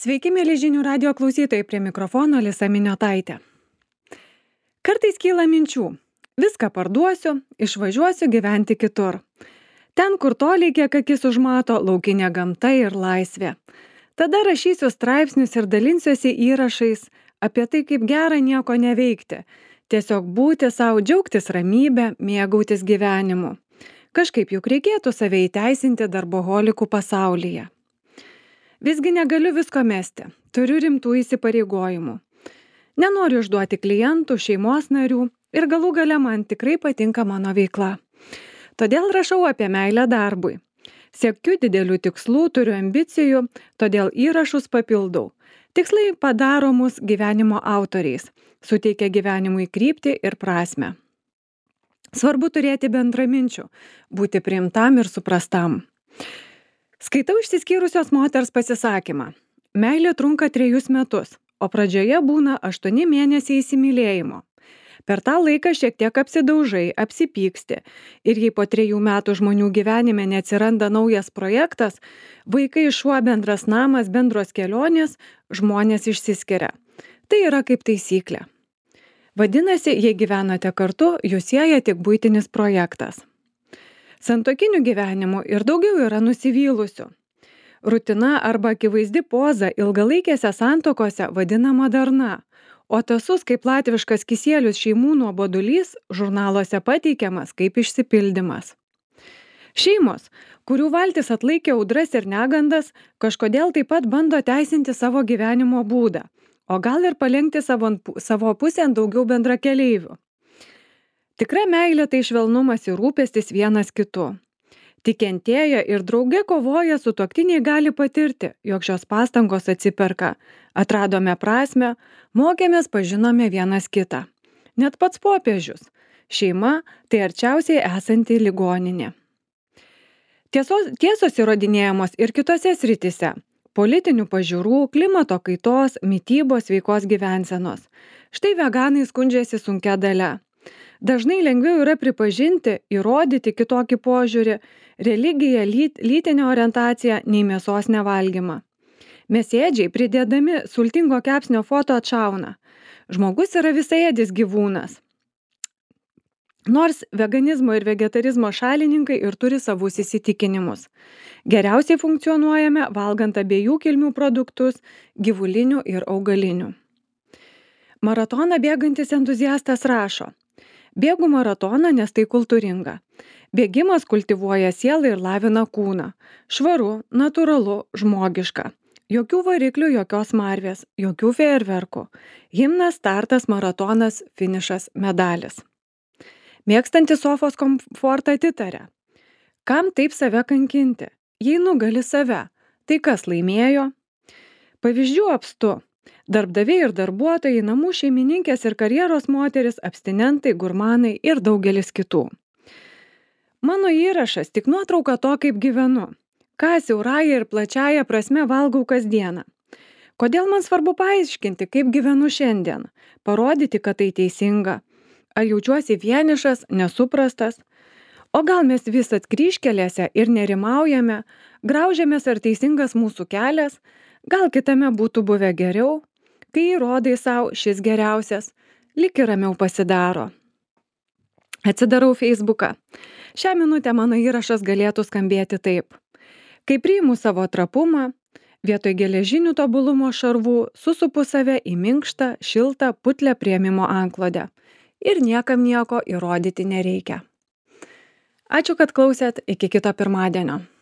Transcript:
Sveiki, mėly žinių radio klausytojai, prie mikrofono Lisa Miniotaitė. Kartais kyla minčių. Viską parduosiu, išvažiuosiu gyventi kitur. Ten, kur toliai kiek akis užmato, laukinė gamta ir laisvė. Tada rašysiu straipsnius ir dalinsiuosi įrašais apie tai, kaip gera nieko neveikti. Tiesiog būti savo, džiaugtis ramybę, mėgautis gyvenimu. Kažkaip juk reikėtų save įteisinti darboholikų pasaulyje. Visgi negaliu visko mesti, turiu rimtų įsipareigojimų. Nenoriu išduoti klientų, šeimos narių ir galų gale man tikrai patinka mano veikla. Todėl rašau apie meilę darbui. Siekiu didelių tikslų, turiu ambicijų, todėl įrašus papildau. Tikslai padaro mus gyvenimo autoriais, suteikia gyvenimui kryptį ir prasmę. Svarbu turėti bendraminčių, būti priimtam ir suprastam. Skaitau išsiskyrusios moters pasisakymą. Meilė trunka 3 metus, o pradžioje būna 8 mėnesiai įsimylėjimo. Per tą laiką šiek tiek apsidaužai, apsipyksti ir jei po 3 metų žmonių gyvenime neatsiranda naujas projektas, vaikai, šuo, bendras namas, bendros kelionės, žmonės išsiskiria. Tai yra kaip taisyklė. Vadinasi, jei gyvenate kartu, jūs sieja tik buitinis projektas. Santuokinių gyvenimų ir daugiau yra nusivylusių. Rutina arba akivaizdi poza ilgalaikėse santuokose vadinama darna, o tasus kaip latviškas kisielius šeimų nuobodulys žurnaluose pateikiamas kaip išsipildymas. Šeimos, kurių valtis atlaikė audras ir negandas, kažkodėl taip pat bando teisinti savo gyvenimo būdą, o gal ir palenkti savo pusėn daugiau bendrakeleivių. Tikra meilė tai švelnumas ir rūpestis vienas kitu. Tik kentėję ir drauge kovoja sutuoktiniai gali patirti, jog šios pastangos atsiperka. Atradome prasmę, mokėmės, pažinome vienas kitą. Net pats popiežius. Šeima tai arčiausiai esanti ligoninė. Tiesos įrodinėjamos ir kitose srityse. Politinių pažiūrų, klimato kaitos, mitybos, sveikos gyvensenos. Štai veganai skundžiasi sunkia dalia. Dažnai lengviau yra pripažinti, įrodyti kitokį požiūrį, religiją, lytinę orientaciją nei mėsos nevalgymą. Mėsėdžiai pridėdami sultingo kepsnio foto atšauna. Žmogus yra visaėdis gyvūnas. Nors veganizmo ir vegetarizmo šalininkai ir turi savus įsitikinimus. Geriausiai funkcionuojame valgant abiejų kilmių produktus, gyvulinių ir augalinių. Maratoną bėgantis entuziastas rašo. Bėgu maratoną, nes tai kultūringa. Bėgimas kultivuoja sielą ir lavina kūną. Švaru, natūralu, žmogiška. Jokių variklių, jokios marvės, jokių fejerverkų. Himnas, startas, maratonas, finišas, medalis. Mėgstantis sofos komfortą atitarė. Kam taip save kankinti? Jei nugali save, tai kas laimėjo? Pavyzdžių apstu. Darbdaviai ir darbuotojai, namų šeimininkės ir karjeros moteris, abstinentai, gurmanai ir daugelis kitų. Mano įrašas tik nuotrauka to, kaip gyvenu. Ką siaurąja ir plačiaja prasme valgau kasdieną. Kodėl man svarbu paaiškinti, kaip gyvenu šiandien? Parodyti, kad tai teisinga. Ar jaučiuosi vienišas, nesuprastas? O gal mes vis atkryžkelėse ir nerimaujame, graužiamės ar teisingas mūsų kelias? Gal kitame būtų buvę geriau? Kai įrodai savo šis geriausias, lyg ir ramiau pasidaro. Atsidarau Facebooką. Šią minutę mano įrašas galėtų skambėti taip. Kai priimu savo trapumą, vietoj geležinių tobulumo šarvų susupu save į minkštą, šiltą, putlią priėmimo antklodę. Ir niekam nieko įrodyti nereikia. Ačiū, kad klausėt, iki kito pirmadienio.